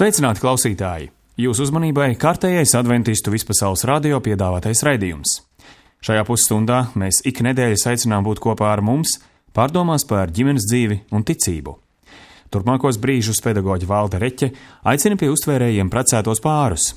Sveicināti klausītāji! Jūsu uzmanībai kārtējais adventistu vispasaules radio piedāvātais raidījums. Šajā pusstundā mēs ik nedēļas aicinām būt kopā ar mums, pārdomās par ģimenes dzīvi un ticību. Turpmākos brīžus pedagoģe Valda Reķe aicina pie uztvērējiem precētos pārus.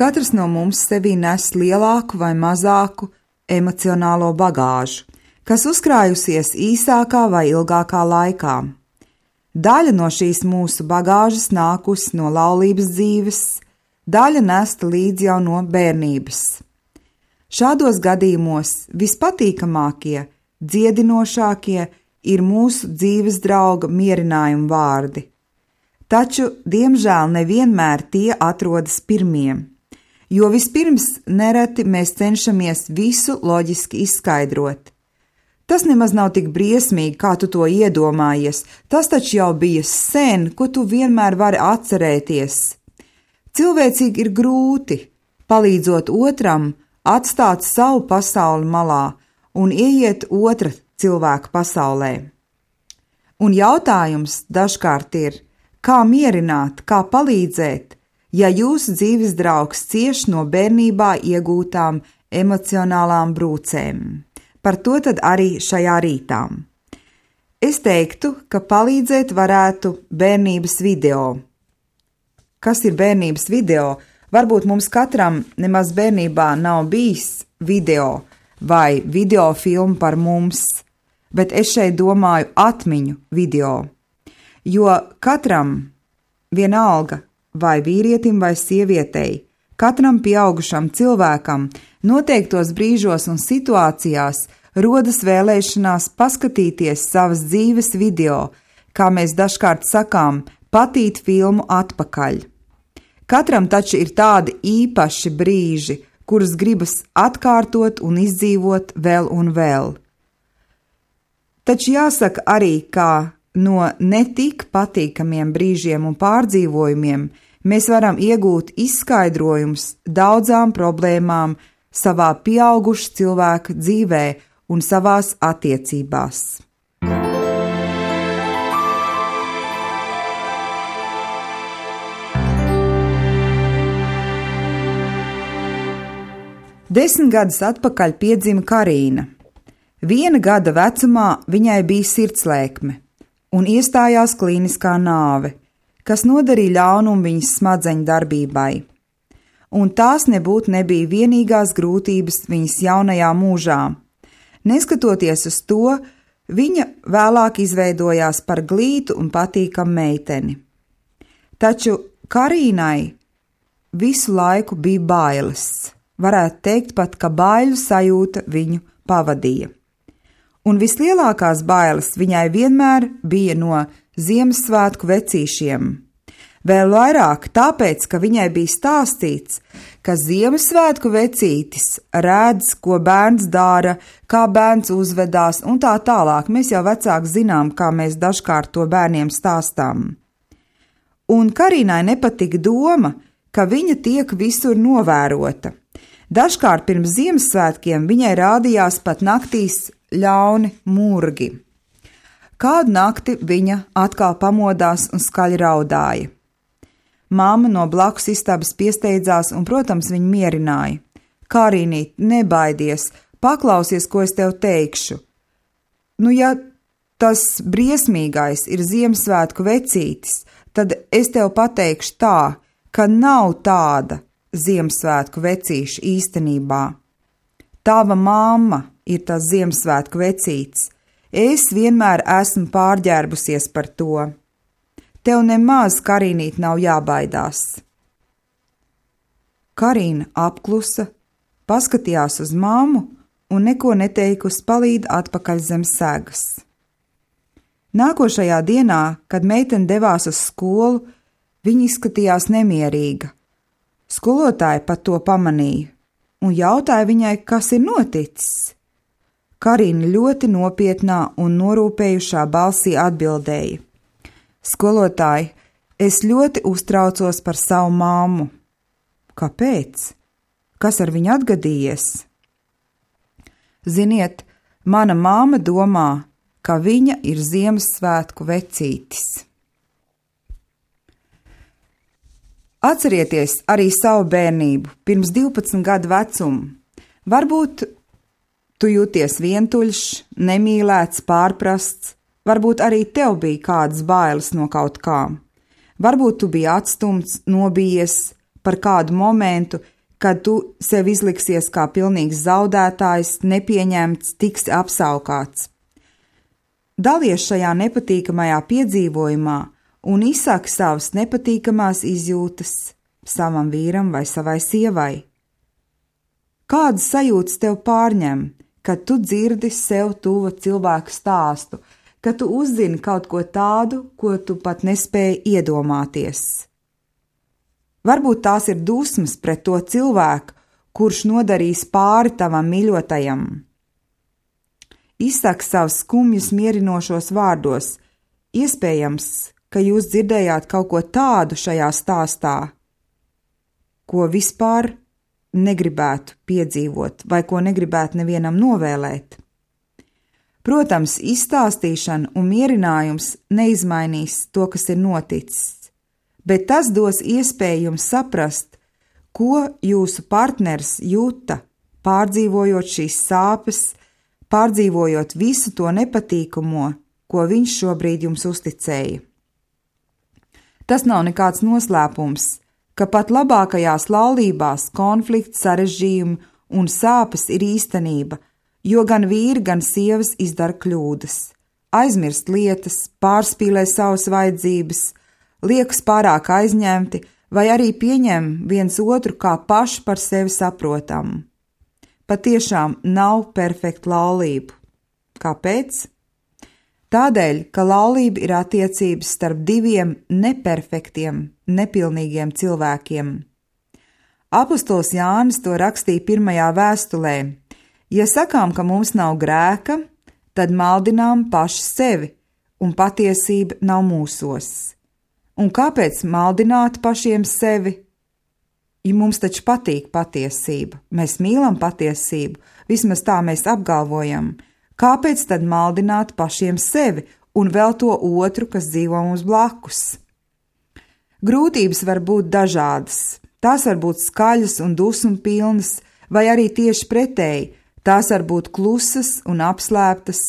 Katrs no mums sevī nes lielāku vai mazāku emocionālo bagāžu, kas uzkrājusies īsākā vai ilgākā laikā. Daļa no šīs mūsu bagāžas nākusi no laulības dzīves, daļa nesta līdzi jau no bērnības. Šādos gadījumos vispatīkamākie, dziedinošākie ir mūsu dzīves drauga mierinājuma vārdi. Taču, diemžēl, nevienmēr tie atrodas pirmie. Jo vispirms nereti mēs cenšamies visu loģiski izskaidrot. Tas nemaz nav tik briesmīgi, kā tu to iedomājies, tas taču jau bija sen, ko tu vienmēr vari atcerēties. Cilvēcīgi ir grūti, palīdzot otram, atstāt savu pasauli malā un ieiet otra cilvēka pasaulē. Un jautājums dažkārt ir, kā mierināt, kā palīdzēt, ja jūsu dzīves draugs cieš no bērnībā iegūtām emocionālām brūcēm. Par to tad arī šajā rītā. Es teiktu, ka palīdzēt varētu bērnības video. Kas ir bērnības video? Varbūt mums katram nemaz bērnībā nav bijis video vai video filma par mums, bet es šeit domāju atmiņu video. Jo katram vienalga, vai vīrietim vai sievietei, katram pieaugušam cilvēkam noteiktos brīžos un situācijās rodas vēlēšanās paskatīties savas dzīves video, kā mēs dažkārt sakām, patīt filmu atpakaļ. Katram taču ir tādi īpaši brīži, kurus gribas atkārtot un izdzīvot vēl un vēl. Taču jāsaka arī, ka no netik patīkamiem brīžiem un pārdzīvojumiem mēs varam iegūt izskaidrojumus daudzām problēmām savā pieauguša cilvēka dzīvē un savās attiecībās. Desmit gadus atpakaļ piedzima Karīna. 1 gada vecumā viņai bija sirdslēkme un iestājās klīniskā nāve, kas nodarīja ļaunumu viņas smadzeņu darbībai. Un tās nebija vienīgās grūtības viņas jaunajā mūžā. Neskatoties uz to, viņa vēlāk izveidojās par glītu un patīkamu meiteni. Taču Karīnai visu laiku bija bailes. Varētu teikt pat, ka baiļu sajūta viņu pavadīja. Un vislielākās bailes viņai vienmēr bija no Ziemassvētku vecīšiem. Vēl vairāk tāpēc, ka viņai bija stāstīts, ka Ziemassvētku vecītis redz, ko bērns dara, kā bērns uzvedās un tā tālāk. Mēs jau vecāki zinām, kā mēs dažkārt to bērniem stāstām. Un Karīnai nepatika doma, ka viņa tiek visur novērota. Dažkārt pirms Ziemassvētkiem viņai rādījās pat naktīs ļauni murgi. Kādu nakti viņa atkal pamodās un skaļi raudāja. Māma no blakus istabas piesteidzās un, protams, viņu mierināja. Karīnīt, nebaidies, paklausies, ko es tev teikšu. Nu, ja tas briesmīgais ir Ziemassvētku vecītis, tad es tev pateikšu tā, ka nav tāda Ziemassvētku vecīša īstenībā. Tava mamma ir tas Ziemassvētku vecītis. Es vienmēr esmu pārģērbusies par to. Tev nemaz, Karīnīt, nav jābaidās. Karīna apklusa, paskatījās uz mammu un neko neteikusi palīd atpakaļ zem segas. Nākošajā dienā, kad meitene devās uz skolu, Viņa izskatījās nemierīga. Skolotāja pat to pamanīja un jautāja viņai, kas ir noticis. Karina ļoti nopietnā un norūpējušā balsī atbildēja: Skolotāji, es ļoti uztraucos par savu māmu. Kāpēc? Kas ar viņu atgadījies? Ziniet, mana māma domā, ka viņa ir Ziemassvētku vecītis. Atcerieties arī savu bērnību, pirms 12 gadu vecumu. Varbūt tu jūties vientuļš, nemīlēts, pārprasts, varbūt arī tev bija kādas bailes no kaut kā. Varbūt tu biji atstumts, nobijies par kādu momentu, kad tu sev izliksies kā pilnīgs zaudētājs, nepieņemts, tiksi apsaukāts. Dalies šajā nepatīkamajā piedzīvojumā un izsaki savas nepatīkamās izjūtas savam vīram vai savai sievai. Kādas sajūtas tev pārņem, kad tu dzirdi sev tuva cilvēku stāstu, kad tu uzzini kaut ko tādu, ko tu pat nespēji iedomāties? Varbūt tās ir dusmas pret to cilvēku, kurš nodarīs pāri tavam mīļotajam. Izsaki savus skumjus mierinošos vārdos. Iespējams, ka jūs dzirdējāt kaut ko tādu šajā stāstā, ko vispār negribētu piedzīvot vai ko negribētu nevienam novēlēt. Protams, izstāstīšana un mierinājums neizmainīs to, kas ir noticis, bet tas dos iespēju jums saprast, ko jūsu partners jūta, pārdzīvojot šīs sāpes, pārdzīvojot visu to nepatīkamo, ko viņš šobrīd jums uzticēja. Tas nav nekāds noslēpums, ka pat labākajās laulībās konflikts, sarežģījumi un sāpes ir īstenība, jo gan vīri, gan sievas izdara kļūdas, aizmirst lietas, pārspīlē savas vajadzības, liekas pārāk aizņemti vai arī pieņem viens otru kā paši par sevi saprotamu. Patiešām nav perfekta laulība. Kāpēc? Tādēļ, ka laulība ir attiecības starp diviem neperfektiem, nepilnīgiem cilvēkiem. Apostols Jānis to rakstīja pirmajā vēstulē: ja sakām, ka mums nav grēka, tad maldinām paši sevi, un patiesība nav mūsos. Un kāpēc maldināt pašiem sevi? Ja mums taču patīk patiesība, mēs mīlam patiesību, vismaz tā mēs apgalvojam. Kāpēc tad maldināt pašiem sevi un vēl to otru, kas dzīvo mums blakus? Grūtības var būt dažādas. Tās var būt skaļas un dusmu pilnas, vai arī tieši pretēji, tās var būt klusas un apslēptas.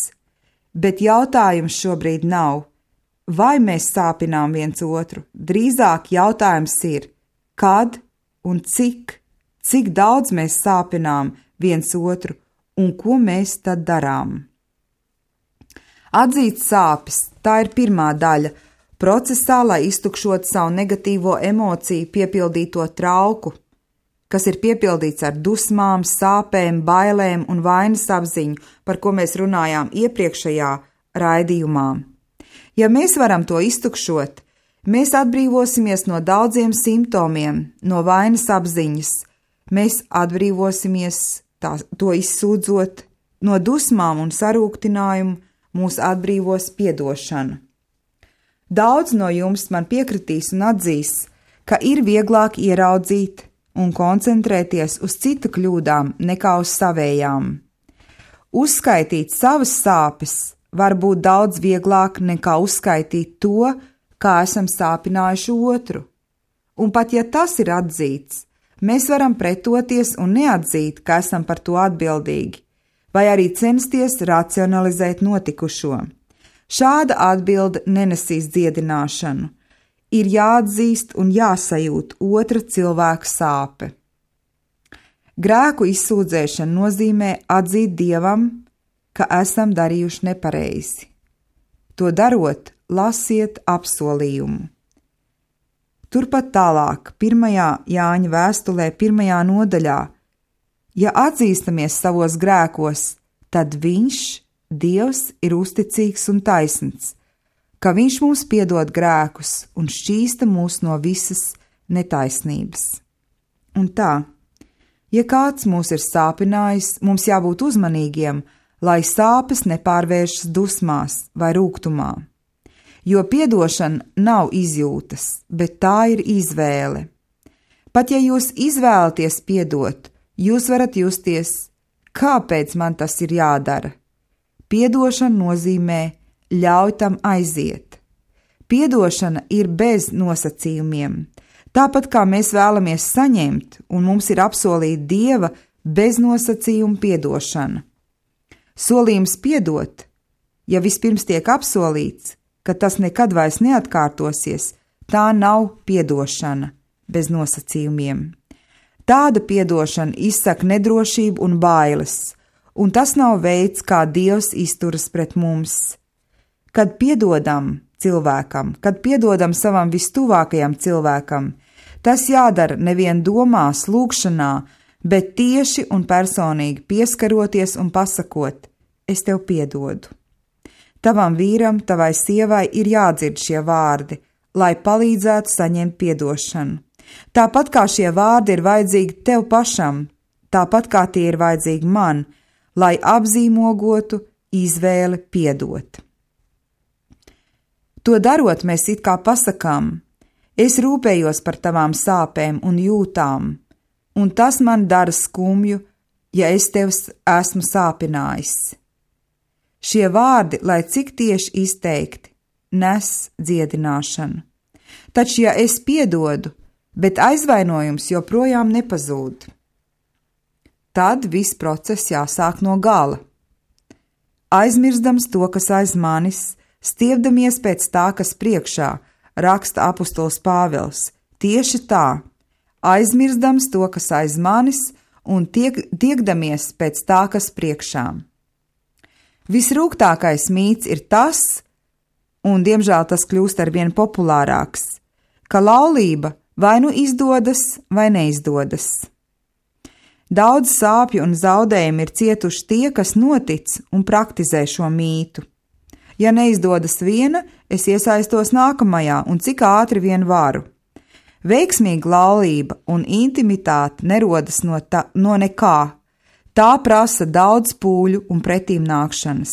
Bet jautājums šobrīd nav, vai mēs sāpinām viens otru. Drīzāk jautājums ir, kad un cik daudz mēs sāpinām viens otru, un ko mēs tad darām? Atzīt sāpes, tā ir pirmā daļa procesā, lai iztukšot savu negatīvo emociju piepildīto trauku, kas ir piepildīts ar dusmām, sāpēm, bailēm un vainas apziņu, par ko mēs runājām iepriekšējā raidījumā. Ja mēs varam to iztukšot, mēs atbrīvosimies no daudziem simptomiem, no vainas apziņas, mēs atbrīvosimies to izsūdzot, no dusmām un sarūktinājumu mūs atbrīvos piedošana. Daudz no jums man piekritīs un atzīs, ka ir vieglāk ieraudzīt un koncentrēties uz citu kļūdām nekā uz savējām. Uzskaitīt savas sāpes var būt daudz vieglāk nekā uzskaitīt to, kā esam sāpinājuši otru. Un pat ja tas ir atzīts, mēs varam pretoties un neatzīt, ka esam par to atbildīgi, vai arī censties racionalizēt notikušo. Šāda atbilde nenesīs dziedināšanu. Ir jāatzīst un jāsajūt otra cilvēka sāpe. Grēku izsūdzēšana nozīmē atzīt Dievam, ka esam darījuši nepareizi. To darot, lasiet apsolījumu. Turpat tālāk, 1. Jāņa vēstulē, 1. nodaļā, ja atzīstamies savos grēkos, tad viņš, Dievs, ir uzticīgs un taisns, ka Viņš mums piedod grēkus un šķīsta mūs no visas netaisnības. Un tā, ja kāds mūs ir sāpinājis, mums jābūt uzmanīgiem, lai sāpes nepārvēršas dusmās vai rūgtumā. Jo piedošana nav izjūtas, bet tā ir izvēle. Pat ja jūs izvēlaties piedot, jūs varat justies, kāpēc man tas ir jādara. Piedošana nozīmē ļauj tam aiziet. Piedošana ir bez nosacījumiem. Tāpat kā mēs vēlamies saņemt, un mums ir apsolīta Dieva bez nosacījuma piedošana. Solījums piedot, ja vispirms tiek apsolīts, ka tas nekad vairs neatkārtosies, tā nav piedošana bez nosacījumiem. Tāda piedošana izsaka nedrošību un bailes, un tas nav veids, kā Dievs izturas pret mums. Kad piedodam cilvēkam, kad piedodam savam vistuvākajam cilvēkam, tas jādara nevien domās, lūgšanā, bet tieši un personīgi pieskaroties un pasakot: es tev piedodu. Tavam vīram, tavai sievai ir jādzird šie vārdi, lai palīdzētu saņemt piedošanu. Tāpat kā šie vārdi ir vajadzīgi tev pašam, tāpat kā tie ir vajadzīgi man, lai apzīmogotu izvēli piedot. To darot, mēs it kā pasakām: es rūpējos par tavām sāpēm un jūtām, un tas man dara skumju, ja es tev esmu sāpinājis. Šie vārdi, lai cik tieši izteikti, nes dziedināšanu. Taču, ja es piedodu, bet aizvainojums joprojām nepazūd, tad viss process jāsāk no gala. Aizmirstams to, kas aiz manis, stiepdamies pēc tā, kas priekšā, raksta apustulis Pāvils. Tieši tā, aizmirstams to, kas aiz manis, un tiekdamies pēc tā, kas priekšā. Visrūgtākais mīts ir tas, un diemžēl tas kļūst arvien populārāks, ka laulība vai nu izdodas, vai neizdodas. Daudz sāpju un zaudējumu ir cietuši tie, kas notic un praktizē šo mītu. Ja neizdodas viena, es iesaistos nākamajā un cik ātri vien varu. Veiksmīga laulība un intimitāte nerodas no nekā. Tā prasa daudz pūļu un pretīm nākšanas.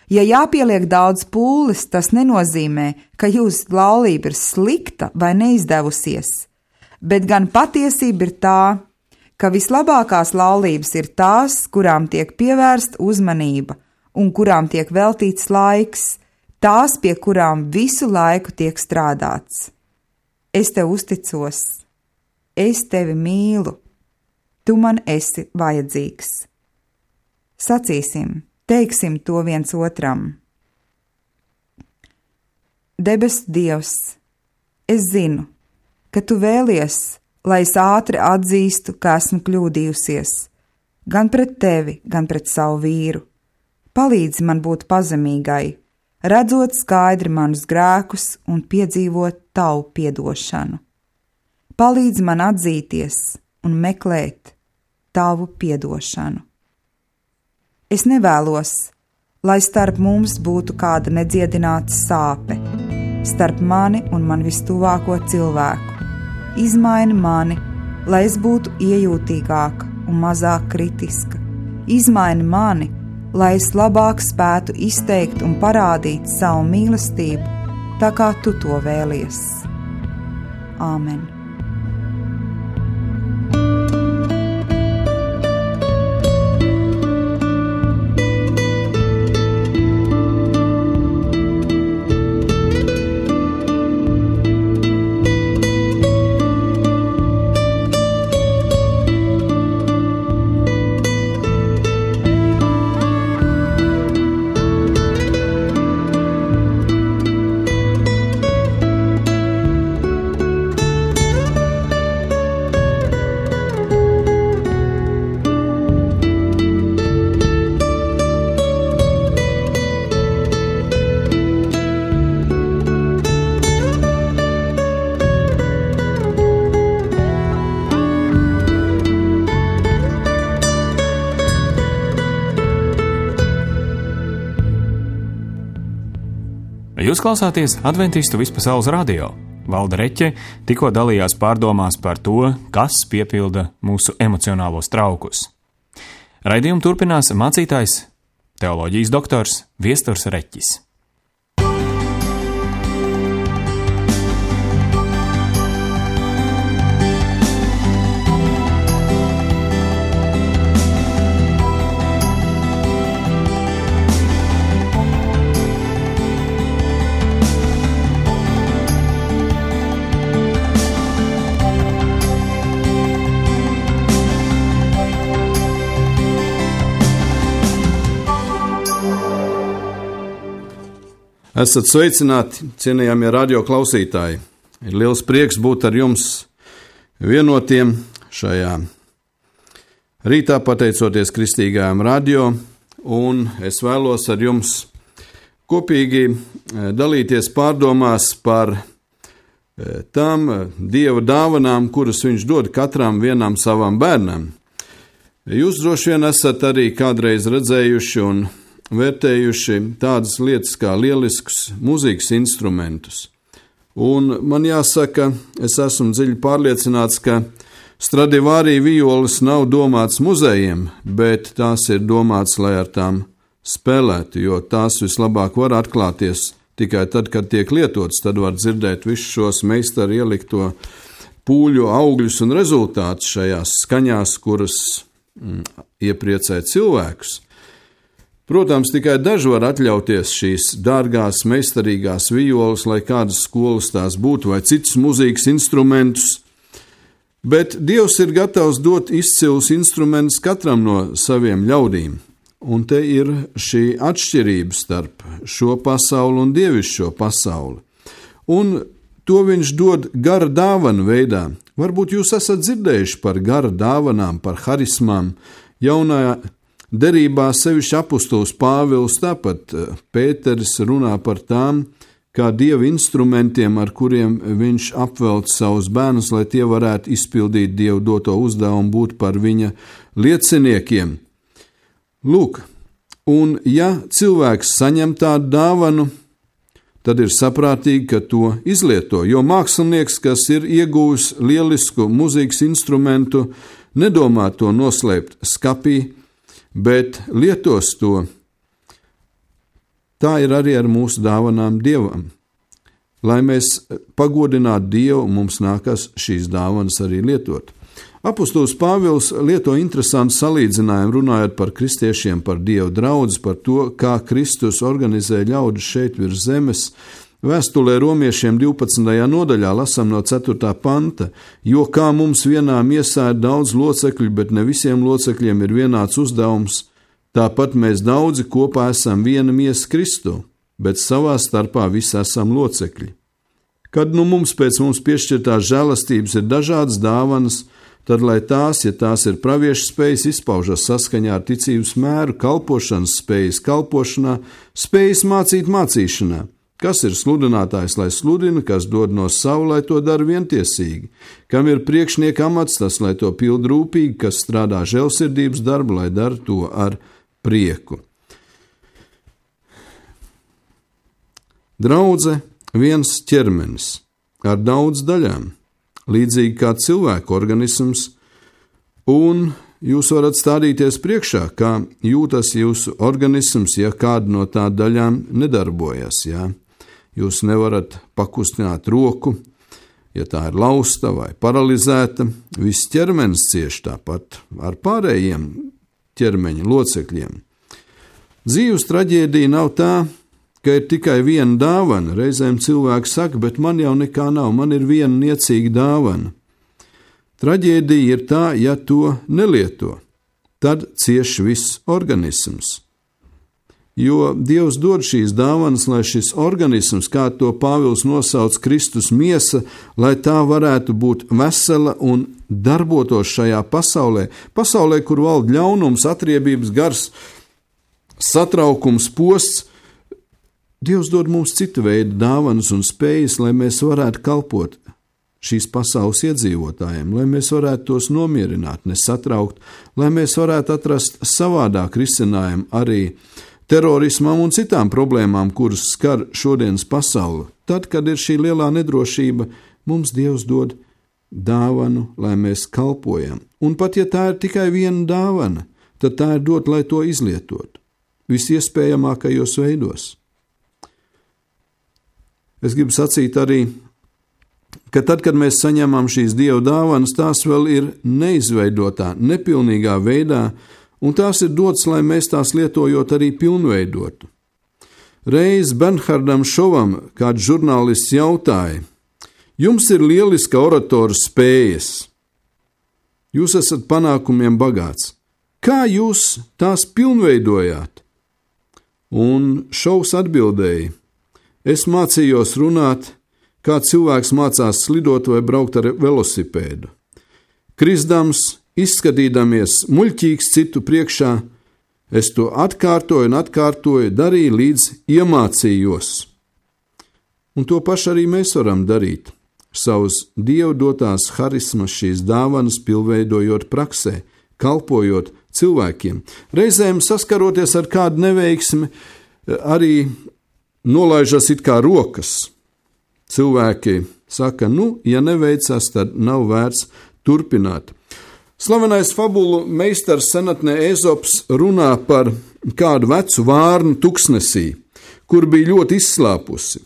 Ja jāpieliek daudz pūles, tas nenozīmē, ka jūsu laulība ir slikta vai neizdevusies, bet gan patiesība ir tā, ka vislabākās laulības ir tās, kurām tiek pievērsta uzmanība un kurām tiek veltīts laiks, tās, pie kurām visu laiku tiek strādāts. Es tev uzticos, es tevi mīlu, tu man esi vajadzīgs. Sacīsim, teiksim to viens otram. Debesu Dievs, es zinu, ka tu vēlies, lai es ātri atzīstu, ka esmu kļūdījusies, gan pret tevi, gan pret savu vīru. Palīdzi man būt pazemīgai, redzot skaidri manus grēkus un piedzīvot tavu piedošanu. Palīdzi man atzīties un meklēt tavu piedošanu. Es nevēlos, lai starp mums būtu kāda nedziedināta sāpe, starp mani un man vistuvāko cilvēku. Izmaini mani, lai es būtu iejūtīgāka un mazāk kritiska. Izmaini mani, lai es labāk spētu izteikt un parādīt savu mīlestību, tā kā tu to vēlies. Āmen. Jūs klausāties Adventistu vispasaules radio. Valda Reķe tikko dalījās pārdomās par to, kas piepilda mūsu emocionālos traukus. Raidījumu turpinās mācītājs, teoloģijas doktors Viesturs Reķis. Esat sveicināti, cienījamie radio klausītāji. Ir liels prieks būt ar jums vienotiem šajā rītā, pateicoties kristīgajām radio, un es vēlos ar jums kopīgi dalīties pārdomās par tām Dieva dāvanām, kuras viņš dod katram vienam savam bērnam. Jūs droši vien esat arī kādreiz redzējuši un vērtējuši tādas lietas kā lieliskus mūzikas instrumentus. Un man jāsaka, es esmu dziļi pārliecināts, ka Stradivari violas nav domāts muzejiem, bet tās ir domāts, lai ar tām spēlētu, jo tās vislabāk var atklāties tikai tad, kad tiek lietotas, tad var dzirdēt visus šos meistaru ielikto pūļu augļus un rezultātus šajās skaņās, kuras iepriecē cilvēkus. Protams, tikai daži var atļauties šīs dārgās, meistarīgās violas, lai kādas skolas tās būtu, vai citus mūzikas instrumentus, bet Dievs ir gatavs dot izcilus instrumentus katram no saviem ļaudīm, un te ir šī atšķirība starp šo pasauli un dievišķo pasauli, un to viņš dod gara dāvanu veidā. Varbūt jūs esat dzirdējuši par gara dāvanām, par harismām, jaunajā derībā sevišķi apustulis Pāvils, tāpat Pēteris runā par tām, kā Dieva instrumentiem, ar kuriem viņš apvelc savus bērnus, lai tie varētu izpildīt Dievu doto uzdevumu, būt par viņa lieciniekiem. Lūk, un ja cilvēks saņem tādu dāvanu, tad ir saprātīgi, ka to izlieto, jo mākslinieks, kas ir ieguvis lielisku mūzikas instrumentu, nedomā to noslēpt skapī, bet lietos to. Tā ir arī ar mūsu dāvanām Dievam. Lai mēs pagodinātu Dievu, mums nākas šīs dāvanas arī lietot. Apustulis Pāvils lieto interesantu salīdzinājumu, runājot par kristiešiem, par Dievu draudzi, par to, kā Kristus organizē ļaudis šeit virs zemes. Vēstulē romiešiem 12. nodaļā lasām no 4. panta, jo kā mums vienā miesā ir daudz locekļu, bet ne visiem locekļiem ir vienāds uzdevums, tāpat mēs daudzi kopā esam viena miesa Kristu, bet savā starpā visi esam locekļi. Kad mums pēc mums piešķirtās žēlastības ir dažādas dāvanas, tad, lai tās, ja tās ir praviešu spējas, izpaužas saskaņā ar ticības mēru, kalpošanas spējas kalpošanā, spējas mācīt mācīšanā. Kas ir sludinātājs, lai sludina, kas dod no savu, lai to dara vientiesīgi, kam ir priekšnieka amats, tas, lai to pild rūpīgi, kas strādā žēlsirdības darbu, lai dara to ar prieku. Draudze viens ķermenis ar daudz daļām, līdzīgi kā cilvēku organisms, un jūs varat stādīties priekšā, kā jūtas jūsu organisms, ja kāda no tā daļām nedarbojas, jā. Jūs nevarat pakustināt roku, ja tā ir lausta vai paralizēta, viss ķermenis cieš tāpat ar pārējiem ķermeņa locekļiem. Dzīves traģēdija nav tā, ka ir tikai viena dāvana. Reizēm cilvēks saka, bet man jau nekā nav, man ir viena niecīga dāvana. Traģēdija ir tā, ja to nelieto, tad cieš viss organisms. Jo Dievs dod šīs dāvanas, lai šis organisms, kā to Pāvils nosauc Kristus miesa, lai tā varētu būt vesela un darbotos šajā pasaulē, kur valda ļaunums, atriebības gars, satraukums, posts. Dievs dod mums citu veidu dāvanas un spējas, lai mēs varētu kalpot šīs pasaules iedzīvotājiem, lai mēs varētu tos nomierināt, nesatraukt, lai mēs varētu atrast savādāk risinājumu arī terorismam un citām problēmām, kuras skar šodienas pasauli. Tad, kad ir šī lielā nedrošība, mums Dievs dod dāvanu, lai mēs kalpojam. Un pat ja tā ir tikai viena dāvana, tad tā ir dot, lai to izlietotu visiespējamākajos veidos. Es gribu sacīt arī, ka tad, kad mēs saņemam šīs Dieva dāvanas, tās vēl ir neizveidotā, nepilnīgā veidā, un tās ir dotas, lai mēs tās lietojot arī pilnveidotu. Reiz Bernhardam Šovam kāds žurnālists jautāja: jums ir lieliska oratoru spējas, jūs esat panākumiem bagāts, kā jūs tās pilnveidojāt? Un Šovs atbildēja: es mācījos runāt, kā cilvēks mācās slidot vai braukt ar velosipēdu. Krisdams, izskatīdamies muļķīgs citu priekšā, es to atkārtoju un atkārtoju, darīju līdz iemācījos. Un to pašu arī mēs varam darīt, savus Dievu dotās harismas, šīs dāvanas pilnveidojot praksē, kalpojot cilvēkiem. Reizēm saskaroties ar kādu neveiksmi, arī nolaižas it kā rokas. Cilvēki saka, ja neveicas, tad nav vērts turpināt. Slavenais fabulu meistars senatnē Ezops runā par kādu vecu vārnu tuksnesī, kur bija ļoti izslāpusi.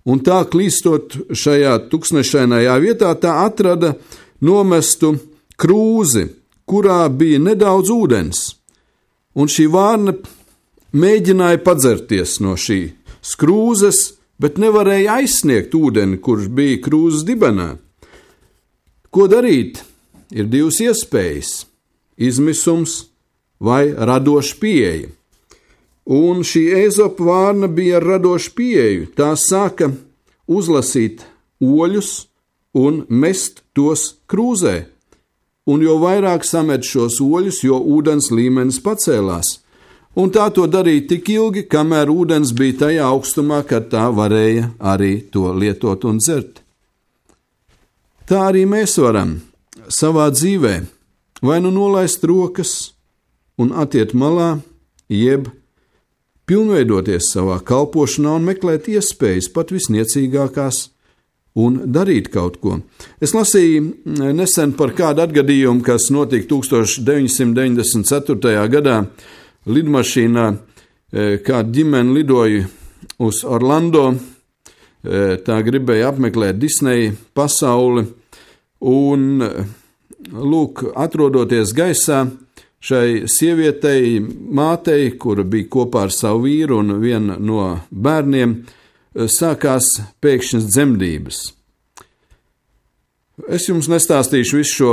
Un tā klīstot šajā tuksnešainajā vietā, tā atrada nomestu krūzi, kurā bija nedaudz ūdens. Un šī vārna mēģināja padzerties no šīs krūzes, bet nevarēja aizsniegt ūdeni, kurš bija krūzes dibenā. Ko darīt? Ir divas iespējas – izmisums vai radoša pieeja. Un šī Ezopa vārna bija ar radošu pieeju. Tā sāka uzlasīt oļus un mest tos krūzē. Un jo vairāk samet šos oļus, jo ūdens līmenis pacēlās. Un tā to darīja tik ilgi, kamēr ūdens bija tajā augstumā, kad tā varēja arī to lietot un dzert. Tā arī mēs varam savā dzīvē vai nu nolaist rokas un atiet malā, jeb pilnveidoties savā kalpošanā un meklēt iespējas pat visniecīgākās un darīt kaut ko. Es lasīju nesen par kādu atgadījumu, kas notika 1994. gadā lidmašīnā, kāda ģimene lidoja uz Orlando, tā gribēja apmeklēt Disneja pasauli, un, atrodoties gaisā, šai sievietei, mātei, kura bija kopā ar savu vīru un viena no bērniem, sākās pēkšņas dzemdības. Es jums nestāstīšu visu šo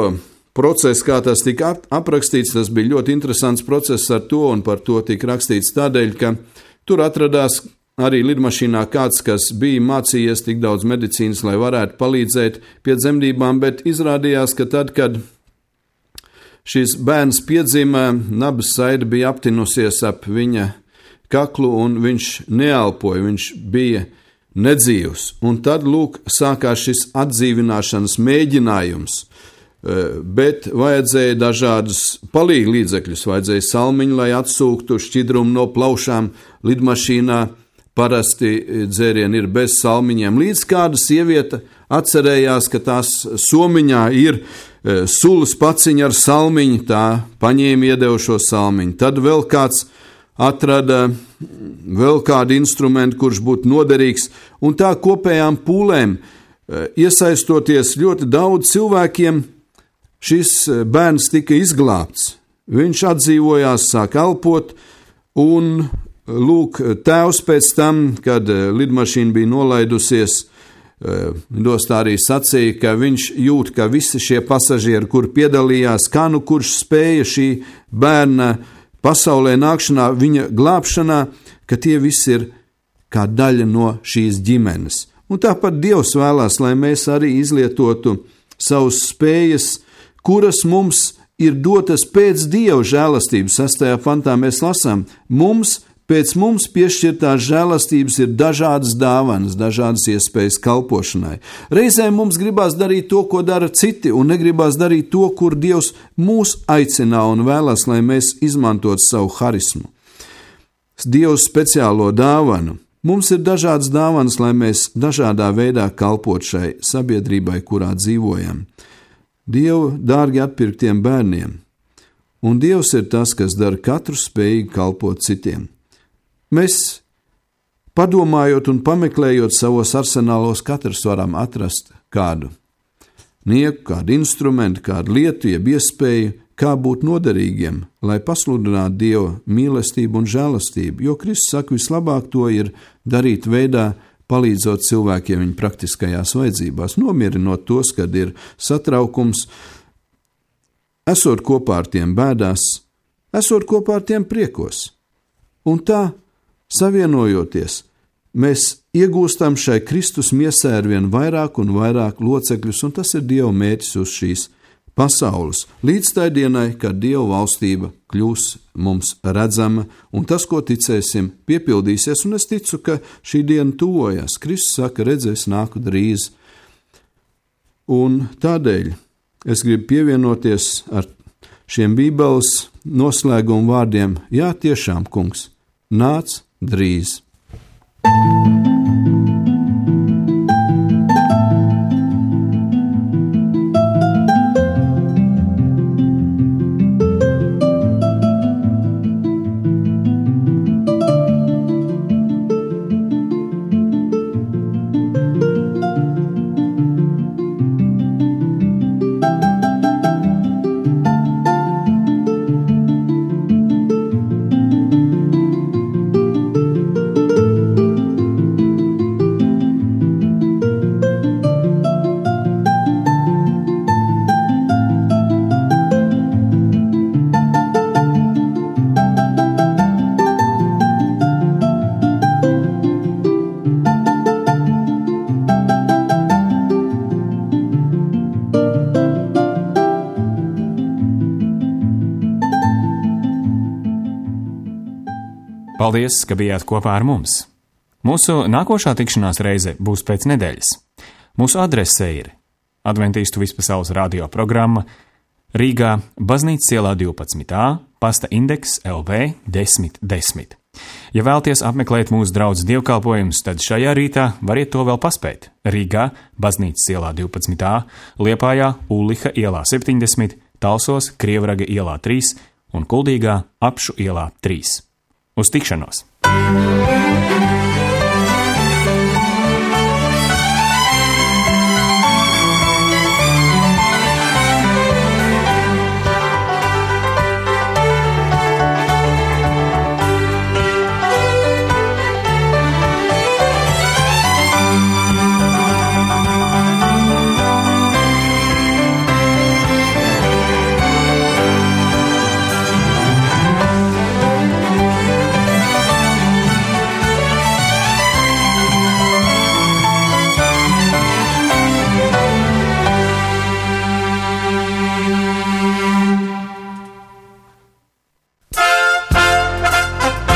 procesu, kā tas tika aprakstīts. Tas bija ļoti interesants process ar to, un par to tika rakstīts tādēļ, ka tur atradās arī lidmašīnā kāds, kas bija mācījies tik daudz medicīnas, lai varētu palīdzēt pie dzemdībām, bet izrādījās, ka tad, kad šis bērns piedzima, nabas saide bija aptinusies ap viņa kaklu, un viņš neelpoja, viņš bija nedzīvs. Un tad, sākās šis atdzīvināšanas mēģinājums, bet vajadzēja dažādus palīgu līdzekļus, vajadzēja salmiņu, lai atsūktu šķidrumu no plaušām lidmašīnā. Parasti dzērieni ir bez salmiņiem. Līdz kāda sieviete atcerējās, ka tās somiņā ir sulas paciņa ar salmiņu, tā paņēma iedeva šo salmiņu. Tad vēl kāds atrada vēl kādu instrumentu, kurš būtu noderīgs, un tā kopējām pūlēm, iesaistoties ļoti daudz cilvēkiem, šis bērns tika izglābts. Viņš atdzīvojās, sāk elpot, un tēvs pēc tam, kad lidmašīna bija nolaidusies, lidostā arī sacīja, ka viņš jūt, ka visi šie pasažieri, kur piedalījās, kā kurš spēja šī bērna pasaulē nākšanā, viņa glābšanā, ka tie visi ir kā daļa no šīs ģimenes. Un tāpat Dievs vēlās, lai mēs arī izlietotu savus spējas, kuras mums ir dotas pēc Dieva žēlastības. 6. pantā mēs lasām, pēc mums piešķirtās žēlastības ir dažādas dāvanas, dažādas iespējas kalpošanai. Reizēm mums gribās darīt to, ko dara citi, un negribās darīt to, kur Dievs mūs aicina un vēlas, lai mēs izmantotu savu harismu. Dievu speciālo dāvanu. Mums ir dažādas dāvanas, lai mēs dažādā veidā kalpot šai sabiedrībai, kurā dzīvojam. Dievu dārgi atpirktiem bērniem, un Dievs ir tas, kas dara katru spējīgi kalpot citiem. Mēs, padomājot un pameklējot savos arsenālos, katrs varam atrast kādu nieku, kādu instrumentu, kādu lietu, jeb iespēju, kā būt noderīgiem, lai pasludinātu Dieva mīlestību un žēlastību, jo Kristus saka, vislabāk to ir darīt veidā, palīdzot cilvēkiem viņu praktiskajās vajadzībās, nomierinot tos, kad ir satraukums, esot kopā ar tiem bēdās, esot kopā ar tiem priekos. Un tā, savienojoties, mēs iegūstam šai Kristus miesai arvien vairāk un vairāk locekļus, un tas ir Dieva mērķis uz šīs pasaules, līdz tai dienai, kad Dieva valstība kļūs mums redzama, un tas, ko ticēsim, piepildīsies, un es ticu, ka šī diena tuvojas. Kristus saka, redzēs, nāku drīz. Un tādēļ es gribu pievienoties ar šiem Bībeles noslēguma vārdiem, jā, tiešām, kungs, nāc drīz. Paldies, ka bijāt kopā ar mums! Mūsu nākošā tikšanās reize būs pēc nedēļas. Mūsu adrese ir Adventīstu vispasaules radio programma Rīgā, Baznīcas ielā 12a, pasta indeks LV 1010. Ja vēlties apmeklēt mūsu draudzes dievkalpojumus, tad šajā rītā variet to vēl paspēt. Rīgā, Baznīcas ielā 12a, Liepājā, Ulliha ielā 70, Talsos, Krievraga ielā 3 un Kuldīgā, Apšu ielā 3. Uz tikšanos!